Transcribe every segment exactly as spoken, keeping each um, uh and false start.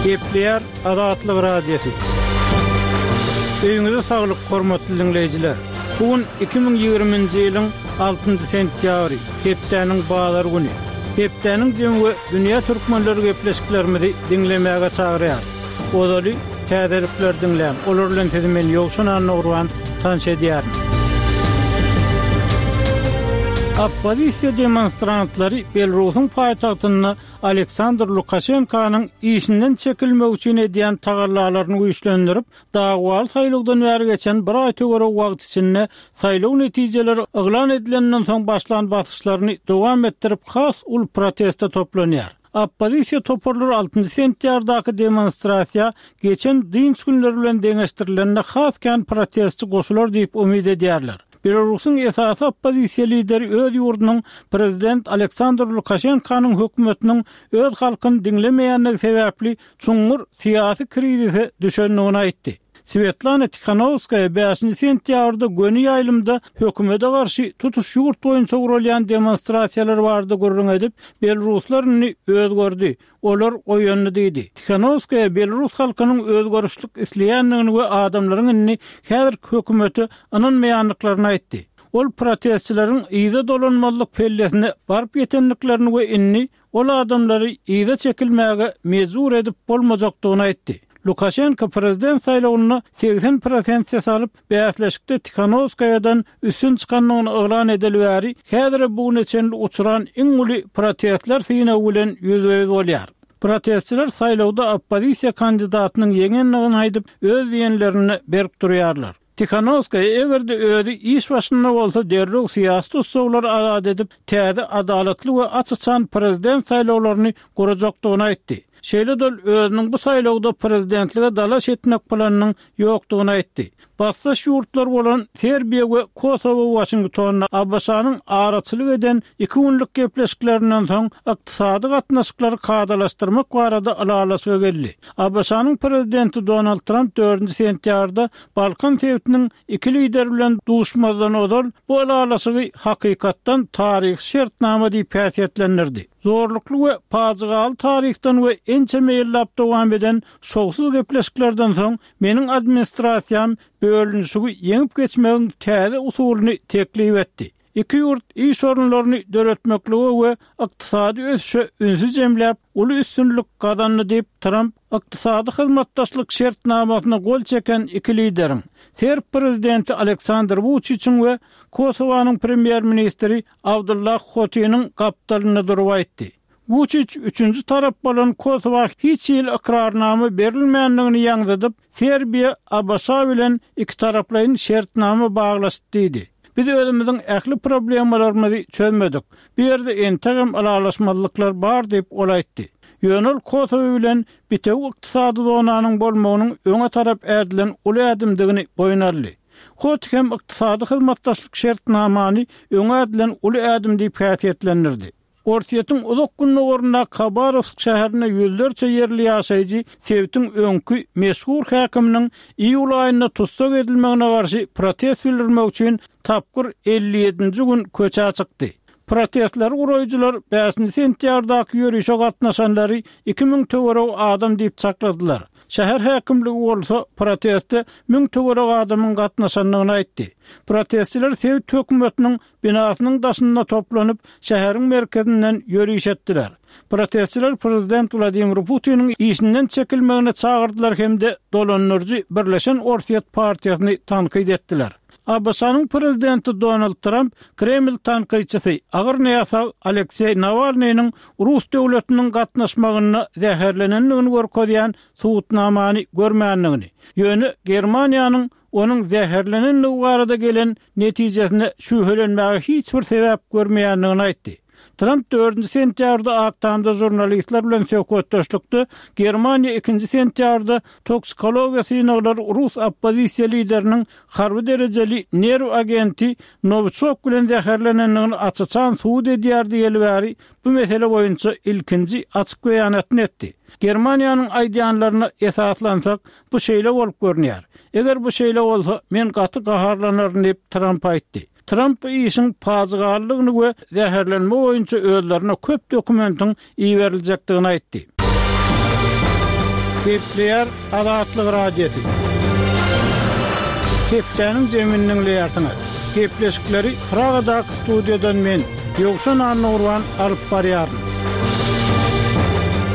Gepleýär Azatlyk Radiosy. Öýüňize saglyk, hormatly diňleýjiler! Bu gün iki müň ýigriminji ýylyň altynjy sentýabry, hepdäniň bazar güni. Hepdäniň jemi we dünýä türkmenleri gepleşiklerimizi diňlemäge çagyrýar. Ozaly täzelikleri diňläň, olar bilen sizi men Ýowşan Annagurban tanyş edýärin. Oppozisiýa demonstrantlary Belarusyň paýtagtynda Aleksandr Lukaşenkanyň işinden çekilmegi üçin edýän tagallalaryny güýçlendirip, dagwaly saýlawdan bäri geçen bir aý töweregi wagt içinde saýlaw netijeleri yglan edilenden soň başlan basyşlaryny dowam etdirip has uly proteste toplanýar. Oppozisiýa toparlary altynjy sentýabrdaky demonstrasiýa geçen dynç günleri bilen deňeşdirilende has kän protestçi goşular diýip umyt edýärler. Belarusyň esasy oppozisiýa lideri öz ýurdunyň prezident Aleksandr Lukaşenkanyň hökümetiniň öz halkyny diňlemeýändigi sebäpli çuňňur syýasy krizise düşendigini aýtdy. Swetlana Tihanowskaýa bäşinji sentýabrda göni ýaýlymda hökümete garşy tutuş ýurt boýunça guralýan demonstrasiýalar barada gürrüň edip, belaruslar indi özgerdi, olar oýandy diýdi. Tihanowskaýa belarus halkynyň özgerişlik isleýändigini we adamlaryň indi häzirki hökümete ynanmaýandyklaryny aýtdy. Ol protestçileriň yza dolanmazlyk pellesine baryp ýetendiklerini we indi ol adamlary yza çekilmäge mejbur edip bolmajakdygyny aýtdy. Lukaşenko prezident saýlawynda segsen prosent ses alyp, bäsleşikde Tihanowskaýadan üstün çykandygyny yglan edeli bäri, häzire bu güne çenli uçran iň uly protestler synagy bilen ýüzbe-ýüz bolýar. Protestçiler saýlawda oppozisiýa kandidatynyň ýeňendigini aýdyp, öz diýenlerinde berk durýarlar. Tihanowskaýa eger-de özi iş başynda bolsa derrew syýasy tussaglary azat edip, täze adalatly we aç-açan prezident saýlawlaryny gurajakdygyny aýtdy. Şeýle-de ol özüniň bu saýlawda prezidentlige dalaş etmek planynyň ýokdugyny aýtdy. Basdaş ýurtlar bolan Serbiýa we Kosowo Waşingtonda ABŞ-nyň araçylyk eden iki günlük gepleşiklerinden soň ykdysady gatnaşyklary kadalaşdyrmak barada ylalaşyga geldi. ABŞ-nyň prezidenti Donald Tramp dördünji sentýabrda Balkan sebitiniň iki lideri bilen duşmazdan ozal bu ylalaşygy hakykatdan taryhy şertnama diýip häsiýetlendirdi. Zorlukly we pajygaly taryhdan we ençeme ýyllap dowam eden şowsuz gepleşiklerden soň meniň administrasiýam bölünişigi ýeňip geçmegiň täze usulyny teklip etdi. Iki ýurt iş orunlaryny döretmeklige we ykdysady ösüşe ünsi jemläp, uly üstünlik gazandy diýip, Tramp ykdysady hyzmatdaşlyk şertnamasyna gol çeken iki lideriň, serb prezidenti Aleksandr Wuçiçiň we Kosowanyň premýer-ministri Abdullah Hotiniň gapdalynda durup aýtdy. Wuçiç üçünji tarap bolan Kosowa hiç hili ykrarnama berilmändigini ýaňzydyp, Serbiýa ABŞ bilen ikitaraplaýyn şertnama baglaşdy diýdi. Biz özümiziň ähli problemalarymyzy çözmedik. Bu ýerde entegem ylalaşmazlyklar bar diýip, ol aýtdy. Ýöne ol Kosowa bilen bitewi ykdysady zonanyň bolmagynyň öňe tarap ädilen uly ädimdigini boýun aldy. Hoti hem ykdysady hyzmatdaşlyk şertnamany öňe ädilen uly ädim diýip häsiýetlendirdi. Orsýetiň uzak gündogaryndaky Habarowsk şäherinde ýüzlerçe ýerli ýaşaýjy sebitiň öňki meşhur häkiminiň iýul aýynda tussag edilmegine garşy protest bildirmek üçin tapgyr elli ýedinji gün köçä çykdy. Protestleri guraýjylar bäşinji sentýabrdaky ýörişe gatnaşanlary iki müň töweregi adam diýip çakladylar. Şäher häkimligi bolsa proteste müň töweregi adamyň gatnaşandygyny aýtdy. Protestçiler sebit hökümetiniň binasynyň daşynda toplanyp, şäheriň merkezinden ýöriş etdiler. Protestçiler prezident Wladimir Putiniň işinden çekilmegine çagyrdylar hem-de dolandyryjy Birleşen Orsýet partiýasyny tankyt etdiler. ABŞ-nyň prezidenti Donald Tramp Kreml tankytçysy, agyr näsag Alekseý Nawalnynyň rus döwletiniň gatnaşmagynda zäherlenendigini görkezýän subutnamany görmändigini, ýöne Germaniýanyň onuň zäherlenendigi barada gelen netijesine şübhelenmäge hiç bir sebäp görmeýändigini aýtdy. Tramp dördünji sentýabrda Ak Tamda žurnalistler bilen söhbetdeşlikde Germaniýa ikinji sentýabrda toksikologiýa synaglary rus oppozisiýa lideriniň harby derejeli nerw agenti Nowiçok bilen zäherlenendigini aç-açan subut edýär diýeli bäri bu mesele boýunça ilkinji açyk beýanatyny etdi. Germaniýanyň aýdýanlaryna esaslansak, bu şeýle bolup görünýär. Eger bu şeýle bolsa, men gaty gaharlanaryn diýip, Tramp aýtdy. Tramp bu işiň pajygalydygyny we zäherlenme boýunça özlerine köp dokumentiň iberiljekdigini aýtdy. Gepleýär Azatlyk Radiosy. Hepdäniň jemini diňleýärsiňiz. Gepleşikleri Pragadaky studiýadan men, Ýowşan Annagurban alyp barýaryn.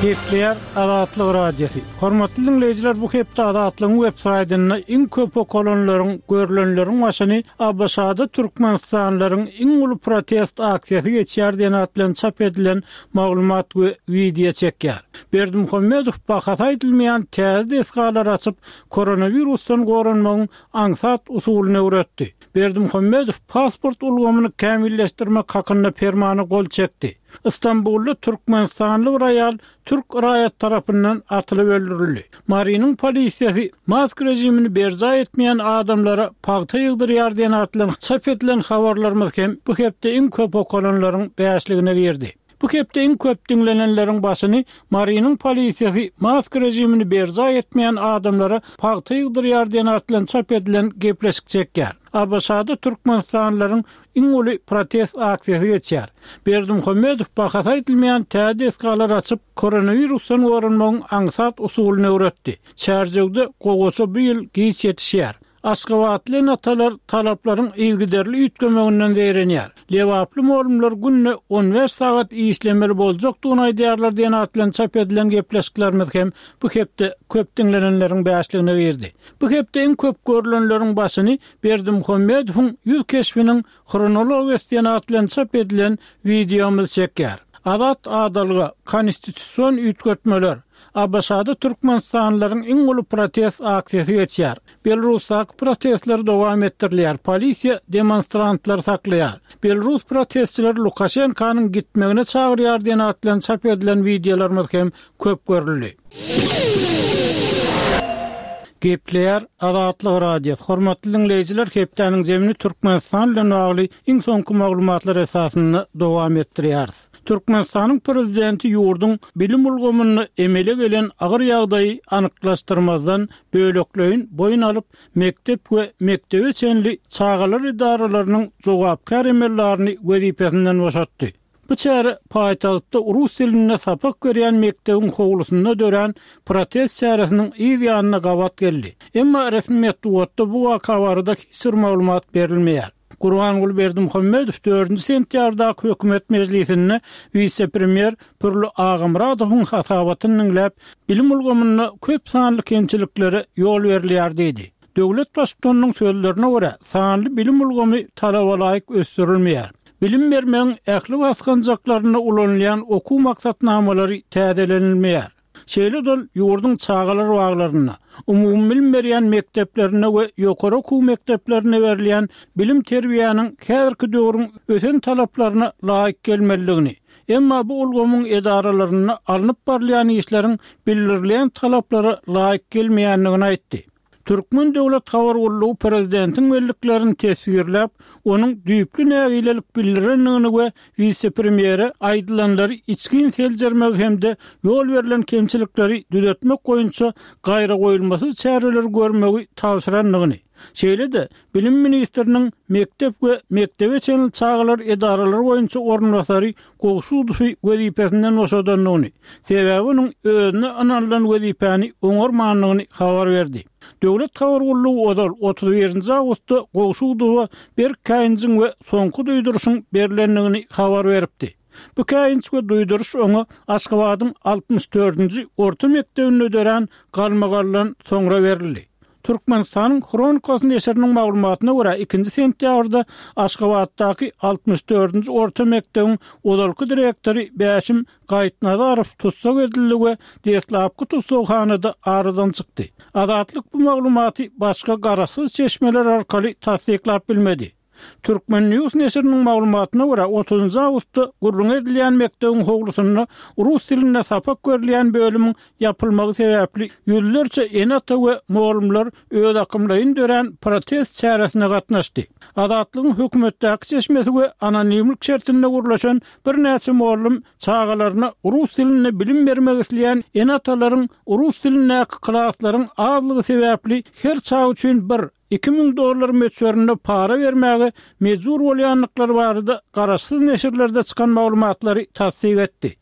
Gepleýär Azatlyk Radiosy. Hormatly diňleýjiler, bu hepde Azatlygyň web saýtynda iň köp okalanlaryň, görlenleriň başyny ABŞ-da türkmenistanlylaryň iň uly protest aksiýasy geçýär diýen at bilen çap edilen maglumat we wideo çekýär. Berdimuhamedow bahasy aýdylmaýan täze desgalary açyp, koronawirusdan goranmagyň aňsat usulyny öwretdi. Berdimuhamedow pasport ulgamyny kämilleşdirmek hakynda permana gol çekdi. Stambulda türkmenistanly bir aýal türk raýaty tarapyndan atylyp öldürildi. Marynyň polisiýasy mask režimini berjaý etmeýän adamlara pagta ýygdyrýar diýen at bilen çap edilen habarlarymyz hem bu hepde iň köp okalanlaryň bäşligine girdi. Bu hepde iň köp diňlenenleriň başyny Marynyň polisiýasy mask režimini berjaý etmeýän adamlara pagta ýygdyrýar diýen at bilen çap edilen gepleşik çekýär. ABŞ-da türkmenistanlylaryň iň uly protest aksiýasy geçýär. Berdimuhamedow bahasy aýdylmaýan täze desgalary açyp, koronawirusdan goranmagyň aňsat usulyny öwretdi. Çärjewde gowaça bu ýyl giç ýetişýär. Aşgabatly ene-atalar talaplaryň yzygiderli üýtgemeginden zeýrenýär. Lebaply mugallymlar günde on bäş sagat işlemeli boljakdygyny aýdýarlar diýen at bilen çap edilen gepleşiklerimiz hem bu hepde köp diňlenenleriň bäşligine girdi. Bu hepde iň köp görlenleriň başyny Berdimuhamedowyň ýüz keşbiniň hronologiýasy diýen at bilen çap edilen wideomyz çekýär. Azat adalga, konstitusion üýtgetmeler, ABŞ-da türkmenistanlylaryň iň uly protest aksiýasy geçýär. Belarusdaky protestler dowam etdirilýär. Polisiýa demonstrantlary saklaýar. Belarus protestçileri Lukaşenkanyň gitmegine çagyrýar diýen at bilen çap edilen wideolarymyz hem köp görüldi. Gepleýär Azatlyk Radiosy. Hormatly diňleýjiler, hepdäniň jemini Türkmenistan bilen bagly iň soňky maglumatlar esasynda dowam etdirýäris. Türkmenistanyň prezidenti ýurduň bilim ulgamynda emele gelen agyr ýagdaýy anyklaşdyrmazdan bölekleýin boýun alyp, mekdep we mekdebe çenli çagalar edaralarynyň jogapkär emellerini wezipesinden boşatdy. Bu çäre paýtagtda rus dilinde sapak berýän mekdebiň howlusynda dörän protest çäresiniň yz ýanyna gabat geldi. Emma resmi metbugatda bu waka barada hiç bir maglumat berilmeýär. Gurbanguly Berdimuhamedow dördünji sentýabrdaky hökümet mejlisinde wise-premýer Pürli Agamyradowyň hasabatyny diňläp, bilim ulgamynda köp sanly kemçiliklere ýol berilýär diýdi. Döwlet baştutanynyň sözlerine görä, sanly bilim ulgamy talaba laýyk ösdürilmeýär. Bilim bermegiň ähli basgançaklarynda ulanylýan okuw maksatnamalary täzelenilmeýär. Şeýle-de ol ýurduň çagalar baglarynda, umumy bilim berýän mekdeplerinde we ýokary okuw mekdeplerinde berilýän bilim-terbiýäniň häzirki döwrüň ösen talaplaryna laýyk gelmelidigini, emma bu ulgamyň edaralarynda alnyp barylýan işleriň bildirilýän talaplara laýyk gelmeýändigini aýtdy. Türkmen döwlet habar gullugy prezidentiň belliklerini teswirläp, onuň düýpli nägilelik bildirendigini we wise-premýere aýdylanlary içgin seljermegi hem-de ýol berlen kemçilikleri düzetmek boýunça gaýragoýulmasyz çäreleri görmegi tabşyrandygyny, şeýle-de bilim ministriniň mekdep we mekdebe çenli çagalar edaralary boýunça orunbasary Gowşudowy wezipesinden boşadandygyny, sebäbi onuň özüne ynanylan wezipäni oňarmandygyny habar berdi. Döwlet habar gullugy ozal otuz birinji awgustda Gowşudowa berk käýinjiň we soňky duýduryşyň berlendigini habar beripdi. Bu käýinç we duýduryş oňa Aşgabadyň altmyş dördünji orta mekdebinde dörän galmagaldan soňra berildi. Türkmenistanyň Hronikasy neşiriniň maglumatyna görä, ikinji sentýabrda Aşgabatdaky altmyş dördünji orta mekdebiň ozalky direktory Bäşim Gaýypnazarow tussag edildi we deslapky tussaghanada aradan çykdy. Azatlyk bu maglumaty başga garaşsyz çeşmeler arkaly tassyklap bilmedi. Turkmen News neşiriniň maglumatyna görä, otuzynjy awgustda gürrüňi edilýän mekdebiň howlusynda rus dilinde sapak berilýän bölümiň ýapylmagy sebäpli ýüzlerçe ene-ata we mugallymlar özakymlaýyn dörän protest çäresine gatnaşdy. Azatlygyň hökümetdäki çeşmesi we anonimlik şertinde gürleşen birnäçe mugallym çagalaryna rus dilinde bilim bermek isleýän ene-atalaryň rus dilindäki klaslaryň azlygy sebäpli her çaga üçin bir, iki müň dollar möçberinde para bermäge mejbur bolýandyklary barada garaşsyz neşirlerde çykan maglumatlary tassyk etdi.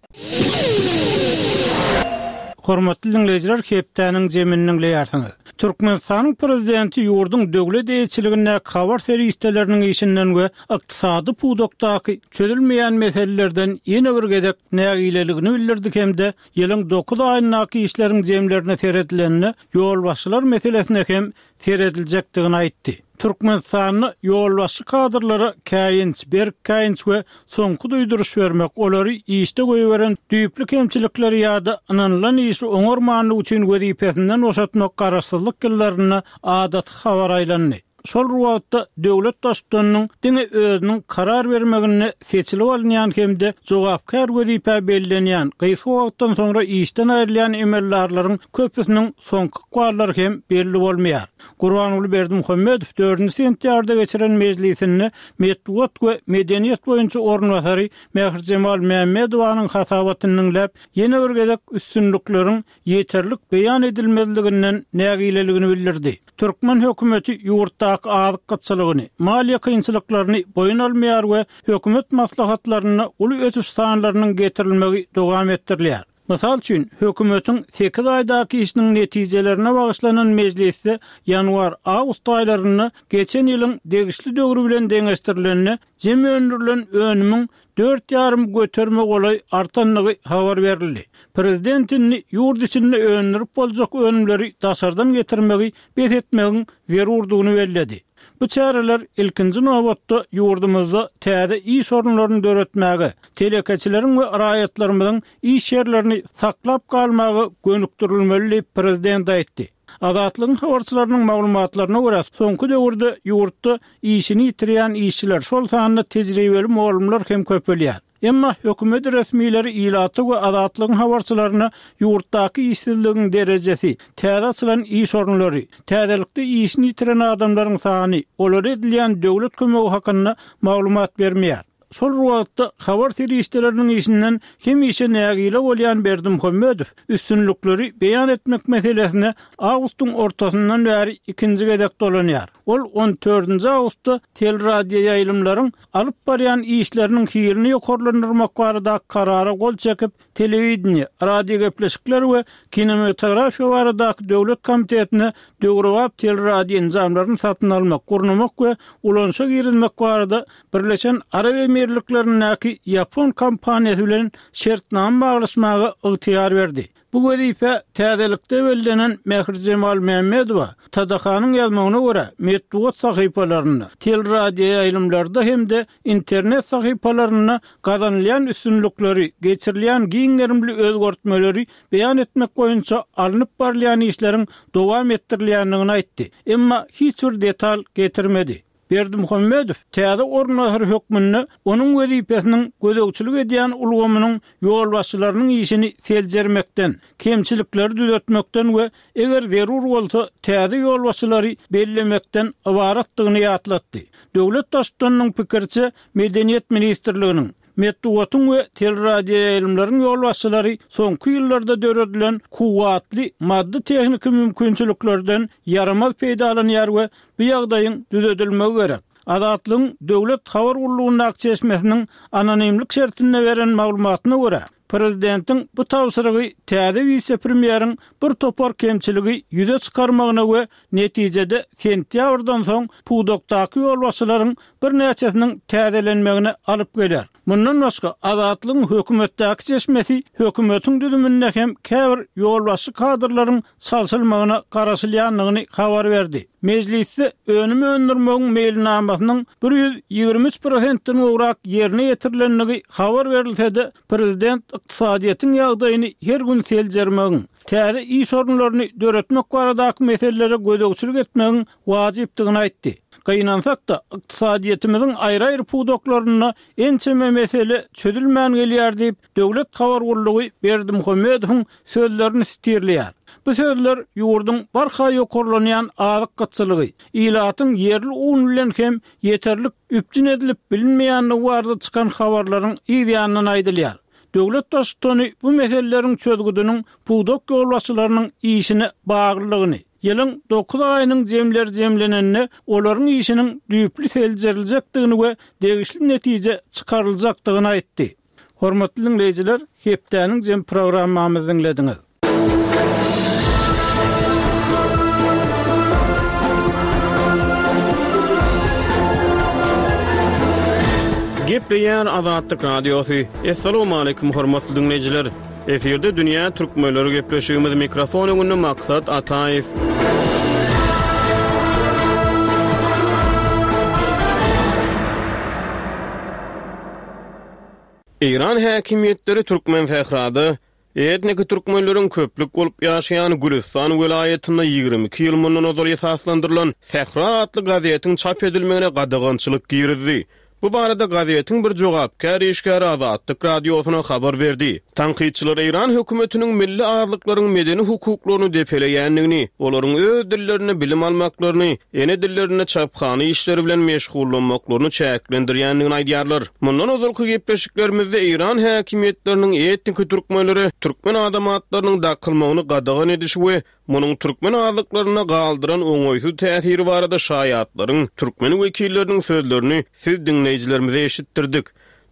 Hormatly diňleýjiler, hepdäniň jemini diňleýärsiňiz. Türkmenistanyň prezidenti ýurduň döwlet eýeçiligindäki habar serişdeleriniň işinden we ykdysady pudakdaky çözülmeýän meselelerden ýene bir gezek nägileligini bildirdi hem-de ýylyň dokuz aýyndaky işleriň jemlerine seredilende ýolbaşçylar meselesine hem serediljekdigini aýtdy. Türkmenistanda ýolbaşçy kadrlara käýinç, berk käýinç we soňky duýduryş bermek, olary işde goýberen düýpli kemçilikleri ýa-da ynanylan işi oňarmanlyk üçin wezipesinden boşatmak garaşsyzlyk ýyllarynda adaty habar aýlandy. Şol wagtda döwlet baştutanynyň diňe özüniň karar bermeginde seçilip alynýan hem-de jogapkär wezipä bellenýän, gysga wagtdan soňra işden aýrylýan emeldarlaryň köpüsiniň soňky ykballary hem belli bolmaýar. Gurbanguly Berdimuhamedow dördünji sentýabrda geçiren mejlisinde metbugat we medeniýet boýunça orunbasary Mährijemal Mämmedowanyň hasabatyny diňläp, ýene bir gezek üstünlikleriň ýeterlik beýan edilmezliginden nägileligini bildirdi. Türkmen hökümeti ýurtdaky azyk gytçylygyny, maliýe kynçylyklaryny boýun almaýar we hökümet maslahatlarynda uly ösüş sanlarynyň getirilmegi dowam etdirilýär. Mysal üçin, hökümetiň sekiz aýdaky işiniň netijelerine bagyşlanan mejlisde ýanwar-awgust aýlarynda geçen ýylyň degişli döwri bilen deňeşdirilende jem öndürilen önümiň dört ýarym göterime golaý artandygy habar berildi. Prezident indi ýurt içinde öndürip boljak önümleri daşardan getirmegi bes etmegiň zerurdygyny belledi. Bu çäreler ilkinji nobatda ýurdumyzda täze iş orunlaryny döretmäge, telekeçileriň we raýatlarymyzyň iş ýerlerini saklap galmaga gönükdirilmeli diýip, prezident aýtdy. Azatlygyň habarçylarynyň maglumatlaryna görä, soňky döwürde ýurtda işini ýitirýän işçiler, şol sanda tejribeli mugallymlar hem köpelýär. Emma hökümet resmileri ilata we Azatlygyň habarçylaryna ýurtdaky işsizligiň derejesi, täze açylan iş orunlary, täzelikde işini ýitiren adamlaryň sany, olara edilýän döwlet kömegi hakynda maglumat bermeýär. Şol bir wagtda, habar serişdeleriniň işinden hemişe nägile bolýan Berdimuhamedow üstünlikleri beýan etmek meselesine awgustyň ortasyndan bäri ikinji gezek dolanýar. Ol on dördünji awgustda teleradioýaýlymlaryň alyp barýan işleriniň hilini ýokarlandyrmak baradaky karara gol çekip, telewideniýe, radiogepleşikler we kinematografiýa baradaky döwlet komitetine döwrebap teleradioenjamlaryny satyn almak, gurnamak we ulanyşa girizmek barada Birleşen Arap Emirliklerindäki ýapon kompaniýasy bilen şertnama baglaşmaga ygtyýar berdi. Bu wezipä täzelikde bellenen Mährijemal Mämmedowa T D H-nyň ýazmagyna görä, metbugat sahypalarynda, teleradioýaýlymlarda hem-de internet sahypalarynda gazanylýan üstünlikleri, geçirilýän giň gerimli özgertmeleri beýan etmek boýunça alnyp barylýan işleriň dowam etdirilýändigini aýtdy. Emma hiç bir detal getirmedi. Berdimuhamedow täze orunbasar hökmünde onuň wezipesiniň gözegçilik edýän ulgamynyň ýolbaşçylarynyň işini seljermekden, kemçilikleri düzetmekden we eger zerur bolsa täze ýolbaşçylary bellemekden ybaratdygyny ýatlatdy. Döwlet Baştutanynyň pikiriçe, Medeniýet ministrliginiň, Metbugatyň we teleradioýaýlymlaryň ýolbaşçylary soňky ýyllarda döredilen kuwwatly maddy-tehniki mümkinçiliklerden ýaramaz peýdalanýar we bu ýagdaýyň düzedilmegi gerek. Azatlygyň döwlet habar gullugyndaky çeşmesiniň anonimlik şertinde beren maglumatyna görä, prezidentiň bu tabşyrygy täze wise-premýeriň bir topar kemçiligi ýüze çykarmagyna we netijede sentýabrdan soň pudakdaky ýolbaşçylaryň birnäçesiniň täzelenmegine alyp geler. Mundan başga, Azatlygyň hökümetdäki çeşmesi hökümetiň düzüminde hem käbir ýolbaşçy kadrlaryň çalşylmagyna garaşylýandygyny habar berdi. Mejlisde önüm öndürmegiň meýilnamasynyň bir ýüz ýigrimi üç prosentden gowrak ýerine ýetirilendigi habar berilse-de, prezident ykdysadyýetiň ýagdaýyny her gün seljermegiň, täze iş orunlaryny döretmek baradaky meselelere gözegçilik etmegiň wajypdygyny aýtdy. Gynansak-da, ykdysadyýetimiziň aýry-aýry pudaklarynda ençeme mesele çözülmän gelýär diýip, döwlet habar gullugy Berdimuhamedowyň sözlerini sitirleýär. Bu sözler ýurduň barha ýokarlanýan azyk gytçylygy, ilatyň ýerli un bilen hem ýeterlik üpjün edilip bilinmeýändigi barada çykan habarlaryň yz ýanyndan aýdylýar. Döwlet Baştutany bu meseleleriň çözgüdiniň pudak ýolbaşçylarynyň işine baglylygyny, ýylyň dokuz aýynyň jemleri jemlenende olaryň işiniň düýpli seljeriljekdigini we degişli netije çykaryljakdygyny aýtdy. Hormatly diňleýjiler, hepdäniň jem programmamyzy diňlediňiz. Gepleýär Azatlyk Radiosy. Assalamualaikum hormatly dinleýjiler. Efirde Dünýä Türkmenleri gepleşigimiz mikrofon öňünde Maksat Ataýew. Eýran häkimiýetleri Türkmen sährada etniki türkmenleriň köplük bolup ýaşaýan Gülüstan welaýatynda ýigrimi iki ýyl mundan ozal esaslandyrylan Sähra atly gazetiň çap edilmegine gadagançylyk girizdi. Bu barada gazetiň bir jogapkär işgäri Azatlyk Radiosyna habar berdi. Tankytçylar Eýran hökümetiniň milli azlyklaryň medeni hukuklaryny depeleýändigini, olaryň öz dillerinde bilim almaklaryny, ene dillerinde çaphana işleri bilen meşgullanmaklaryny çäklendirýändigini aýdýarlar. Mundan ozalky gepleşiklerimizde Eýran häkimiýetleriniň etniki türkmenlere türkmen adamatlarynyň dakylmagyny gadagan edişi we munuň türkmen azlyklaryna galdyran oňaýsyz täsiri barada şaýatlaryň, türkmen wekilleriniň sözlerini siz diňleýjilerimize eşitdirdik.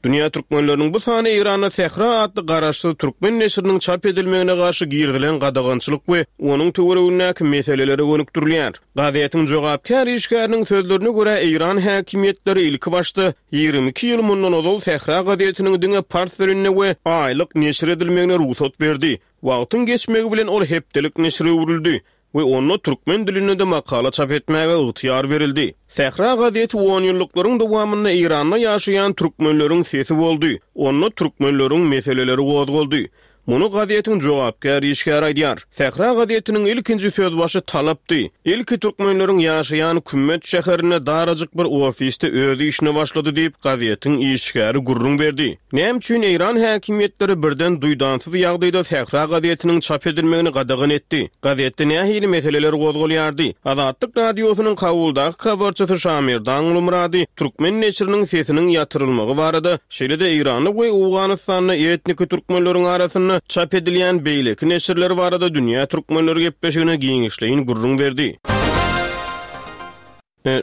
Dünýä türkmenleriniň bu sany Eýranda Sähra atly garaşsyz türkmen neşiriniň çap edilmegine garşy girizilen gadagançylyk we onuň töweregindäki meselelere gönükdirilýär. Gazetiň jogapkär işgäriniň sözlerine görä Eýran häkimiýetleri ilki başda ýigrimi iki ýyl mundan ozal Sähra gazetiniň diňe pars dilinde we aýlyk neşir edilmegine rugsat berdi. Wagtyň geçmegi bilen ol hepdelik neşire öwrüldi we onda türkmen dilinde de makala çap etmäge ygtyýar berildi. Sähra gazeti on ýyllyklaryň dowamynda Eýranda ýaşaýan türkmenleriň sesi boldy. Onda türkmenleriň meseleleri gozgaldy. Muny gazetiň jogapkär işgäri aýdýar. Sähra gazetiniň ilkinji sözbaşy talapdy. Ilki türkmenleriň ýaşaýan Kümmet şäherinde darajyk bir ofisde öz işine başlady diýip gazetiň işgäri gürrüň berdi. Näme üçin Eýran häkimiýetleri birden duýdansyz ýagdaýda Sähra gazetiniň çap edilmegini gadagan etdi? Gazetde nähili meseleler gozgalýardy? Azatlyk Radiosynyň Kabuldaky habarçysy Şamirdan Gulmurady türkmen neşiriniň sesiniň ýatyrylmagy barada, şeýle-de Eýranda we Owganystanda etniki türkmenleriň arasynda çap edilýän beýleki neşirler barada Dünýä Türkmenleri gepleşigine giňişleýin gürrüň berdi.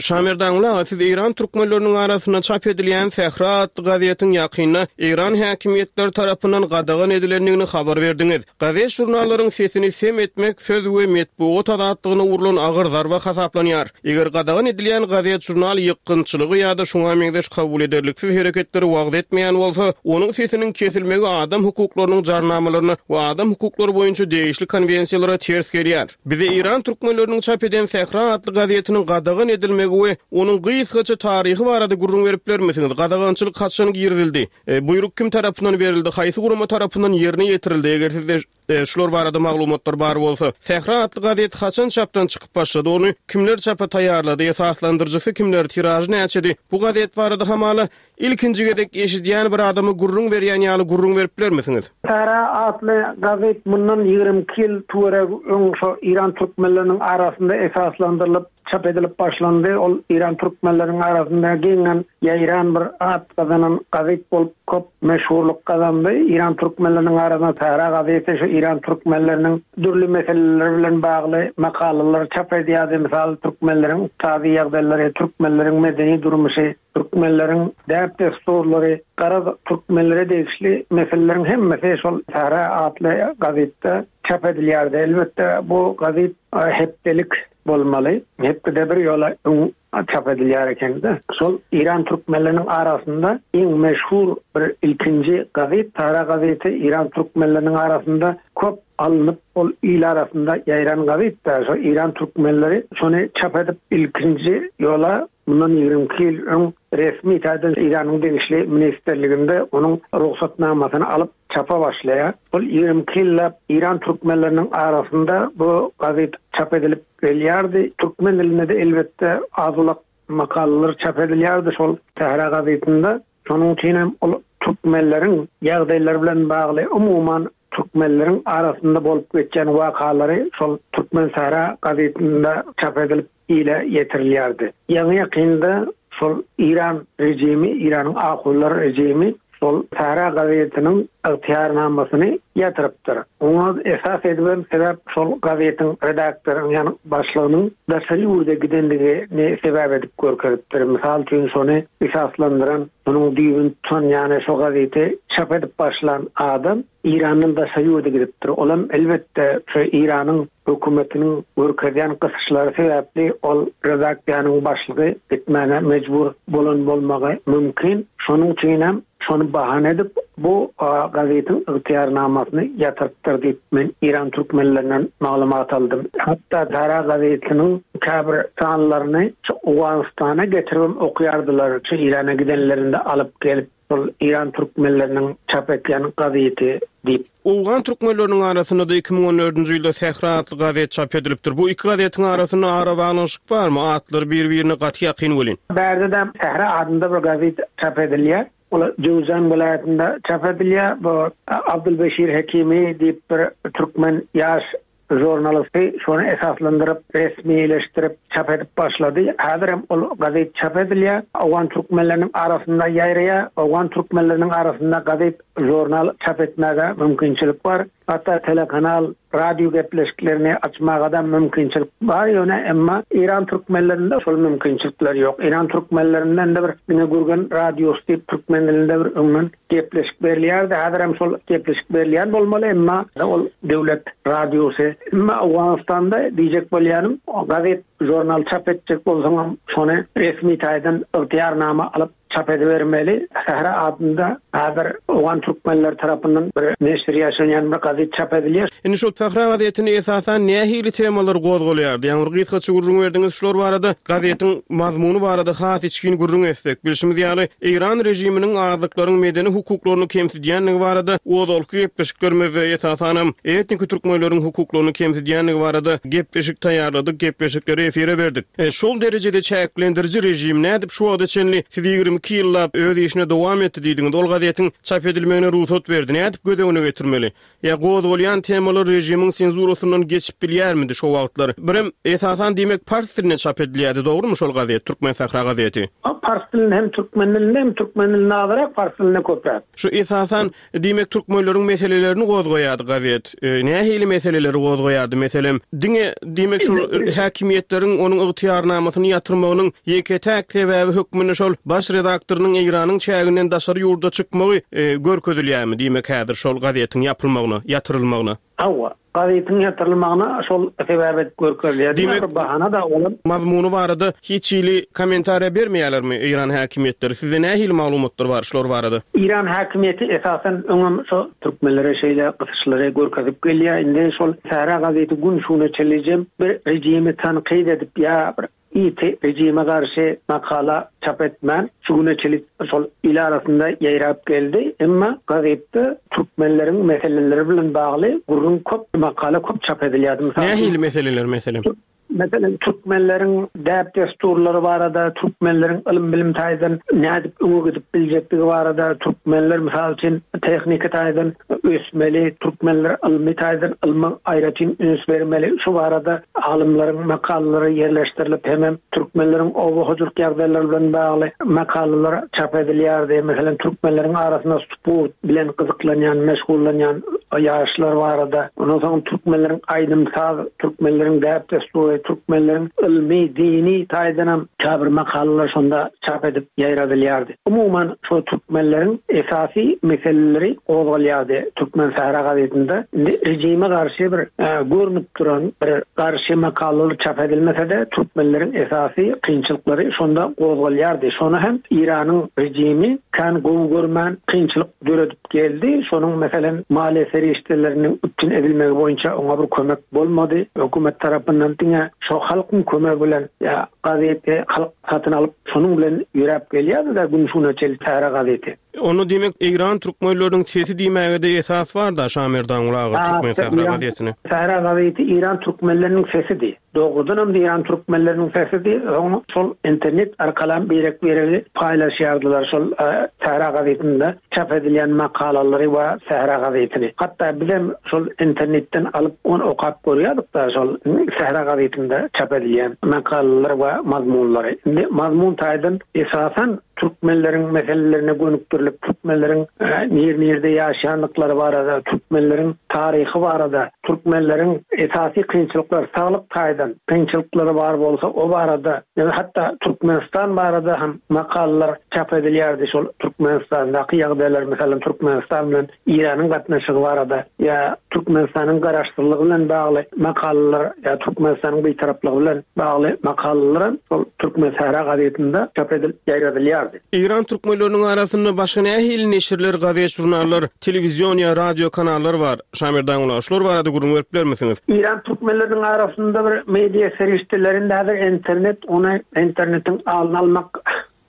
Şamirdan Gulaga, siz Eýran türkmenleriniň arasynda çap edilýän Sähra atly gazetiň ýakynda Eýran häkimiýetleri tarapyndan gadagan edilendigini habar berdiňiz. Gazet žurnallaryň sesini sem etmek söz we metbugat azatlygyna urlan agyr zarba hasaplanýar. Eger gadagan edilýän gazet žurnal ýykgynçylygy ýa-da şoňa meňzeş kabul ederliksiz hereketleri wagz etmeýän bolsa, onuň sesiniň kesilmegi adam hukuklarynyň jarnamalaryna we adam hukuklary boýunça degişli konwensiýalara ters gelýär. Bize Eýran türkmenleriniň çap eden Sähra atly gazetiniň gadagan edilmegi we onuň gysgaça taryhy barada gürrüň berip bilermisiňiz? Gadagançylyk haçan girizildi? E, buýruk kim tarapyndan berildi? Haýsy gurama tarapyndan ýerine ýetirildi? Eger sizde e, şular barada maglumatlar bar bolsa, Sähra atly gazet haçan çapdan çykyp başlady? Ony kimler çapa taýýarlady? Esaslandyryjysy kimler? Tiražy näçedi? Bu gazet barada hamala ilkinji gezek eşidýän bir adamy gürrüň berýän ýaly gürrüň berip bilermisiňiz? Sähra atly gazet mundan ýigrimi iki ýyl töweregi öň şo Eýran türkmenleriniň arasynda esaslandyrylyp çap edilip başlandy. Ol Eýran türkmenleriniň arasynda giňden ýaýran bir at gazanan gazet bolup köp meşhurlyk gazandy. Eýran türkmenleriniň arasynda Sähra gazeti şu Eýran türkmenleriniň dürli meseleler bilen bagly makalalar çap edýärdi. Mysal türkmenleriň ykdysady ýagdaýlary, türkmenleriň medeni durmuşy, türkmenleriň däp-dessurlary, garaz türkmenlere degişli meseleleriň hemmesi şol Sähra atly gazetde çap edilýärdi. Elbetde bu gazet hepdelik bolmaly. Hepdede bir ýola öň çap edilýär ekende. Şol Eýran türkmenleriniň arasynda iň meşhur bir ilkinji gazet Sähra gazeti Eýran türkmenleriniň arasynda köp alnyp ol il arasynda ýaýran gazet. Şol Eýran türkmenleri şony çap edip ilkinji ýola mundan ýigrimi iki ýyl öň resmi taýdan Eýranyň degişli ministerliginde onuň rugsatnamasyny alyp çapa başlaýar. Ol ýigrimi iki ýyllap Eýran türkmenleriniň arasynda bu gazet çap edilip gelýärdi. Türkmen dilinde de elbetde az-ulak makalalar çap edilýärdi şol Sähra gazetinde. Şonuň üçin hem ol türkmenleriň ýagdaýlary bilen bagly umuman türkmenleriň arasynda bolup geçen wakalary şol Türkmen Sähra gazetinde çap edilip ile ýetirilýärdi. Ýaňy ýakynda şol Eýran rejimi, Eýranyň ahunlar rejimi şol Sähra gazetiniň ygtyýarnamasyny ýatyrypdyr. Oňa esas edilen sebäp şol gazetiň redaktorynyň ýagny başlygynyň daşary ýurda gidendigini sebäp edip görkezipdir. Mysal üçin şony esaslandyran, onuň düýbüni tutan ýagny şo gazeti çap edip başlan adam Irandan daşary ýurda gidipdir. Olam elbetde şu Iranyň hökümetiniň görkezýän gysyşlary sebäpli ol redaksiýanyň başlygy gitmäne mejbur bolan bolmagy mümkin. Şonuň üçin hem şony bahana edip bu gazetiň ygtyýarnamasyny ýatyrypdyr diýip men Iran türkmenlerinden maglumat aldym. Hatda Sähra gazetiniň käbir sanlaryny Owganystana getirip okýardylar. Şu Irana gidenlerinde alyp gelip şol Iran türkmenleriniň çap etýän gazeti diýip. Owgan türkmenleriniň arasynda da iki müň on dördünji ýylda Sähra atly gazet çap edilipdir. Bu iki gazetiň arasynda arabaglanyşyk barmy? Atlar bir-birine gaty ýakyn welin. Bärde de Sähra adynda bir gazet çap edilýär. Ol Jöwzan welaýatynda çap edilýär. Bu Abdülbeşir Hekimi diýip bir türkmen ýaş jurnalisti şony esaslandyryp, resmileşdirip çap edip başlady. Häzir hem ol gazet çap edilýär. Owgan türkmenleriniň arasynda ýaýraýar. Owgan türkmenleriniň arasynda gazet, jurnal çap etmäge mümkinçilik bar. Hatda telekanal, radio gepleşiklerini açmaga da mümkinçilik bar ýöne, emma İran türkmenlerinde şol mümkinçilikler ýok. İran türkmenlerinden de bir diňe Gürgen radiosy diýip türkmen dilinde bir öňden gepleşik berilýärdi. Häzir hem şol gepleşik berilýän bolmaly, emma ol döwlet radiosy. Emma Owganystanda diýjek bolýanym, gazet, jurnal çap etjek bolsaň şony resmi taýdan ygtyýarnama alyp çap edibermeli. Sähra adynda häzir Owgan türkmenler tarapyndan bir neşir ýaşanýan bir gazet çap edilýär. Indi şol Sähra gazetini esasan nähili temalar gozgalýardy? Ýagny bir gysgaça gürrüň berdiňiz şular barada, gazetiň mazmuny barada has içgin gürrüň etsek. Bilşimiz ýaly, Eýran režiminiň azlyklaryň medeni hukuklaryny kemsidýänligi barada ozalky gepleşiklerimizde esasanam etnik türkmenleriň hukuklaryny kemsidýänligi barada gepleşik taýýarladyk, gepleşikleri efire berdik. E, şol derejede çäklendiriji rejim nädip şu wagta çenli siz ýigrimi iki ýyllap öz işine dowam etdi diýdiňiz. Ol gazetiň çap edilmegine rugsat berdi. Nädip göz öňüne getirmeli? Ýa gozgalýan temalar režimiň senzurasyndan geçip bilýärmidi şo wagtlar? Birem esasan diýmek pars dilinde çap edilýärdi, dogrumy şol gazet, Türkmen Sähra gazeti? Ha, pars dilinde hem türkmen dilinde hem türkmen dilinde azyrak, pars dilinde köpräk. Şu esasan diýmek türkmenleriň meselelerini gozgaýardy gazet. E, nähili meseleleri gozgaýardy? Meselem, diňe diýmek şol häkimiýetleriň onuň ygtyýarnamasyny ýatyrmagynyň ýeke-täk sebäbi hökmünde şol baş redaktorynyň Eýranyň çäginden daşary ýurda çykmagy, e, görkezilýärmi diýmek häzir şol gazetiň ýapylmagyna, ýatyrylmagyna? Hawa, gazetiň ýatyrylmagyna şol sebäp edip görkezilýär. Diýmek, bir bahana da olam. Mazmuny barada hiç hili kommentariýa bermeýärlermi Eýran häkimiýetleri? Sizde nähili maglumatlar bar şular barada? Eýran häkimiýeti esasan öňem şo türkmenlere şeýle gysyşlary görkezip gelýär. Indi şol Sähra gazeti gün şuna çenlijem bir rejimi tankyt edip ýa bir iti rejime garşy makala çap etmän şu güne çenli şol il arasynda ýaýrap geldi. Emma gazetde türkmenleriň meseleleri bilen bagly gürrüň köp, makala köp çap edilýärdi. Mysal üçin, Nähili meseleler meselem? Meselem, türkmenleriň däp-desturlary barada, türkmenleriň ylym-bilim taýdan nädip öňe gidip biljekdigi barada, türkmenler mysal üçin tehniki taýdan ösmeli, türkmenler ylmy taýdan ylma aýratyn üns bermeli. Şu barada alymlaryň makalalary ýerleşdirilip, hemem türkmenleriň oba hojalyk ýagdaýlary bilen bagly makalalar çap edilýärdi. Meselem, türkmenleriň arasynda sport bilen gyzyklanýan, meşgullanýan ýaşlar barada, ondan soň türkmenleriň aýdym-saz, türkmenleriň däp-destury, türkmenleriň ylmy, dini taýdanam käbir makalalar şonda çap edip ýaýradylýardy. Umuman, şo türkmenleriň esasy meseleleri gozgalýardy Türkmen Sähra gazetinde. Indi rejime garşy bir, e, görünüp duran bir garşy makalalar çap edilmese-de türkmenleriň esasy kynçylyklary şonda gozgalýardy. Şony hem Iranyň rejimi kan gowy görmän kynçylyk döredip geldi. Şonuň meselem maliýe serişdeleriniň üpjün edilmegi boýunça oňa bir kömek bolmady. Hökümet tarapyndan diňe şo halkyň kömegi bilen ýa gazeti halk satyn alyp şonuň bilen ýöräp gelýärdi-de gün şuna çenli Sähra gazeti. Onu diýmek Eýran türkmenleriniň sesi diýmäge-de esas bar da Şamerdan aga Ha, Türkmen Sähra İran gazetini. Sähra gazeti İran türkmenleriniň sesidi. Doğrudan hem İran türkmenleriniň sesidi. Oň şol internet arkalan birek-biregi paýlaşýardylar şol, e, Sähra gazetinde çap edilýän makalalary we Sähra gazetini. Hatda bizem şol internetden alyp ony okap görýärdik da şol Sähra gazetinde çap edilýän makalalar we mazmunlary. Indi mazmun taýdan esasan türkmenleriň meselelerine gönükdirilip, türkmenleriň nir-nirde ýaşaýandyklary barada, türkmenleriň taryhy barada, türkmenleriň esasy kynçylyklary, saglyk taýdan kynçylyklary bar bolsa o barada, ýa hatda Türkmenistan barada hem makalalar çap edilýärdi. Şol Türkmenistandaky ýagdaýlar, meselem Türkmenistan bilen Eýranyň gatnaşygy barada ýa Türkmenistanyň garaşsyzlygy bilen bagly makalalar ýa Türkmenistanyň bitaraplygy bilen bagly makalalar şol Türkmensähra gazetinde çap edilip ýaýradylýardy. Eýran türkmenleriniň arasynda başga nähili neşirler, gazet, žurnallar, telewizion ýa radio kanallar bar? Şamerdan uly, şular barada gürrüň berip bilermisiňiz? Eýran türkmenleriniň arasynda bir media serişdelerinde häzir internet, ony internetiň alyny almak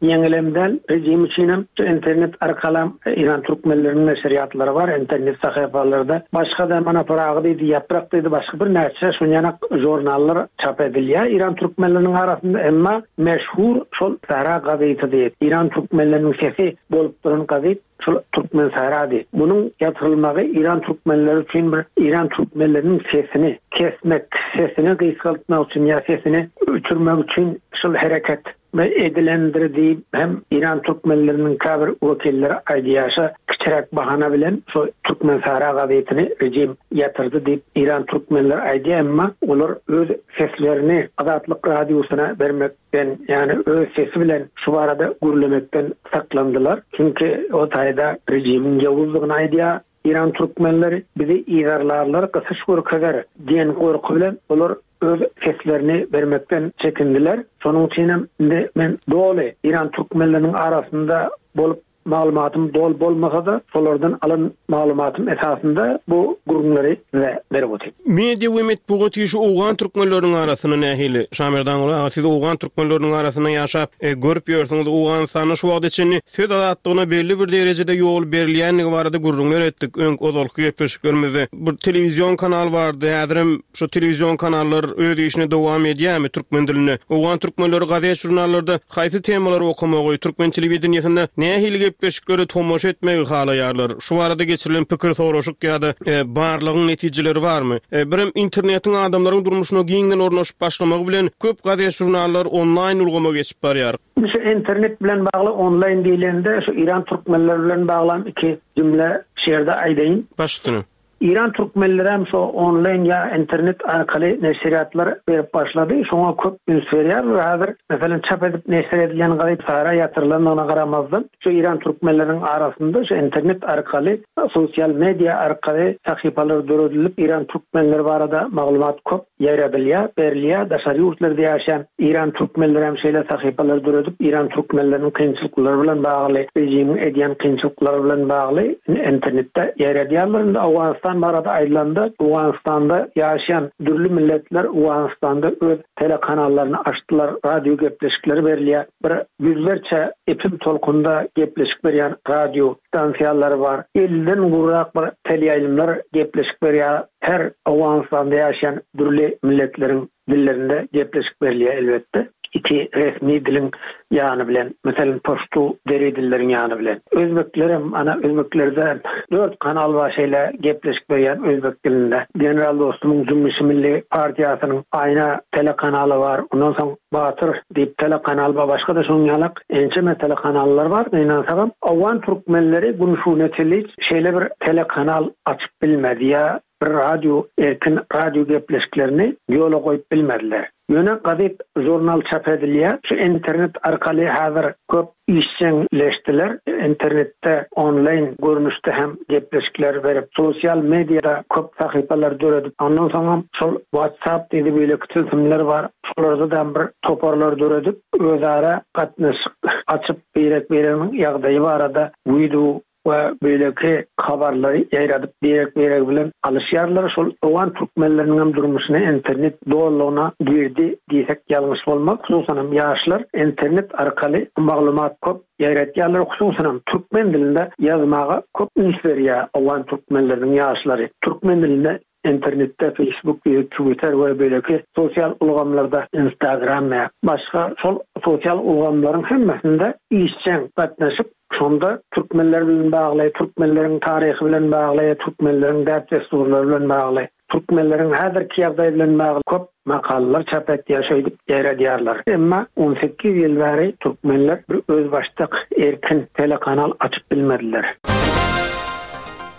ýeňilem däl, rejim üçinem şu internet arkalam Eýran türkmenleriniň neşirýatlary bar, internet sahypalarda. Başga da mana Pyragy diýdi, Ýaprak diýdi, başga bir näçe şunýanak žurnallar çap edilýär Eýran türkmenleriniň arasynda, emma meşhur şol Sahra gazeti diýip, Eýran türkmenleriniň sesi bolup duran gazet şol Türkmen Sahrady. Bunuň ýatyrylmagy Eýran türkmenleri üçin bir Eýran türkmenleriniň sesini kesmek, sesini gysgaltmak üçin ýa sesini öçürmek üçin şol hereket edilendir diýip hem Eýran türkmenleriniň käbir wekilleri aýdýarsa, kiçiräk bahana bilen şo Türkmen Sahra gazetini rejim ýatyrdy diýip Eýran türkmenleri aýdýar, emma olar öz seslerini Azatlyk radiosyna bermekden, ýagny öz sesi bilen şu barada gürlemekden saklandylar. Çünki o taýda rejimiň ýowuzlygyny aýdýar. Eýran türkmenleri bizi yzarlarlar, gysyş görkezer diýen gorky bilen olar öz seslerini bermekden çekindiler. Şonuň üçin hem indi men doly Eýran türkmenleriniň arasynda bolup maglumatym dol bolmasa da şolardan alan maglumatym esasynda bu gürrüňleri size berip otyryn. Media we metbugat işi Owgan türkmenleriniň arasynda nähili? Şamerdan uly aga, siz Owgan türkmenleriniň arasynda ýaşap, e, görüp ýörsüňiz, Owganystanda şu wagta çenli söz azatlygyna belli bir derejede ýol berilýändigi barada gürrüňler etdik. Öň ozalky gepleşiklerimizde bir telewizion kanal bardy. Häzirem şu telewizion kanallar öz işini dowam edýärmi türkmen dilinde? Owgan türkmenleri gazet žurnallarda haýsy temalary okamagy, türkmen telewideniýesinde nähili gepleşikleri tomaşa etmegi halaýarlar? Şu barada geçirilen pikir soraşyk ýa-da, e, barlagyň netijeleri barmy? E, birem internetiň adamlaryň durmuşyna giňden ornaşyp başlamagy bilen köp gazet žurnallar onlaýn ulgama geçip barýar. Şu internet bilen bagly onlaýn diýlende şu Eýran türkmenleri bilen baglan iki jümle şeýerde aýdaýyn. Baş üstüne. Eýran türkmenleri hem şu onlaýn ýa internet arkaly neşirýatlar berip başlady. Şoňa köp üns berýärler. Häzir meselem çap edip neşir edilen gazet Sahra ýatyrylandygyna garamazdan şu Eýran türkmenleriniň arasynda şu internet arkaly, sosial media arkaly sahypalar döredilip Eýran türkmenleri barada maglumat köp ýaýradylýar, berilýär. Daşary ýurtlarda ýaşaýan Eýran türkmenleri hem şeýle sahypalar döredip Eýran türkmenleriniň kynçylyklary bilen bagly, rejimiň edýän kynçylyklary bilen bagly internetde ýaýradýarlar. Indi Owganystan barada aýdylanda, Owganystanda ýaşaýan dürli milletler Owganystanda öz telekanallaryny açdylar, radio gepleşikleri berilýär. Bir ýüzlerçe epim tolkunda gepleşik berýän radio stansiýalary bar. Elden gurrak bir teleýaýlymlar gepleşik berýär. Her Owganystanda ýaşaýan dürli milletleriň dillerinde gepleşik berilýär elbetde. Iki resmi diliň ýany bilen, meselem Paştu deri dilleriň ýany bilen. Özbeklerem, ana Özbeklerde dört kanal bar şeýle gepleşik berýän özbek dilinde. General Dostumyň Jümmüşi Milli partiýasynyň Aýna telekanaly bar. Ondan soň Batyr diýip telekanal bar. Başga da şonuň ýaly ençeme telekanallar bar. Gynansagam Owgan türkmenleri gün şuna çenli şeýle bir telekanal açyp bilmedi ýa bir radio, erkin radio gepleşiklerini ýola goýup bilmediler. Ýöne gazet, žurnal çap edilýär. Şu internet arkaly häzir köp işjeňleşdiler. Internetde onlaýn görnüşde hem gepleşikler berip, sosial mediada köp sahypalar döredip, ondan soň şol WhatsApp diýip beýleki tilsimler bar. Şolarda da bir toparlar döredip, özara gatnaşyk açyp birek-bireginiň ýagdaýy barada video we beýleki habarlary ýaýradyp birek-biregi bilen alyşýarlar. Şol Owgan türkmenleriniň hem durmuşyna internet dolulygyna girdi diýsek ýalňyş bolmaz. Hususan hem ýaşlar internet arkaly maglumat köp ýaýratýarlar. Hususan hem türkmen dilinde ýazmaga köp üns berýär Owgan türkmenleriniň ýaşlary. Türkmen dilinde internetde Facebook, Twitter we beýleki sosial ulgamlarda Instagram we başga şol sosial ulgamlaryň hemmesinde işjeň gatnaşyp, şonda türkmenler bilen bagly, türkmenleriň taryhy bilen bagly, türkmenleriň däp-dessurlary bilen bagly Türkmenleriň häzirki ýagdaýy bilen bagly köp makalalar çap etýär, şeýdip ýaýradýarlar. Emma on sekiz ýyl bäri türkmenler bir özbaşdak erkin telekanal açyp bilmediler.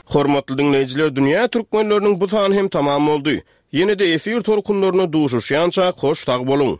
Hormatly diňleýjiler, dünýä türkmenleriniň bu sany hem tamam boldy. Ýene-de efir tolkunlarynda duşuşýança hoş sag boluň.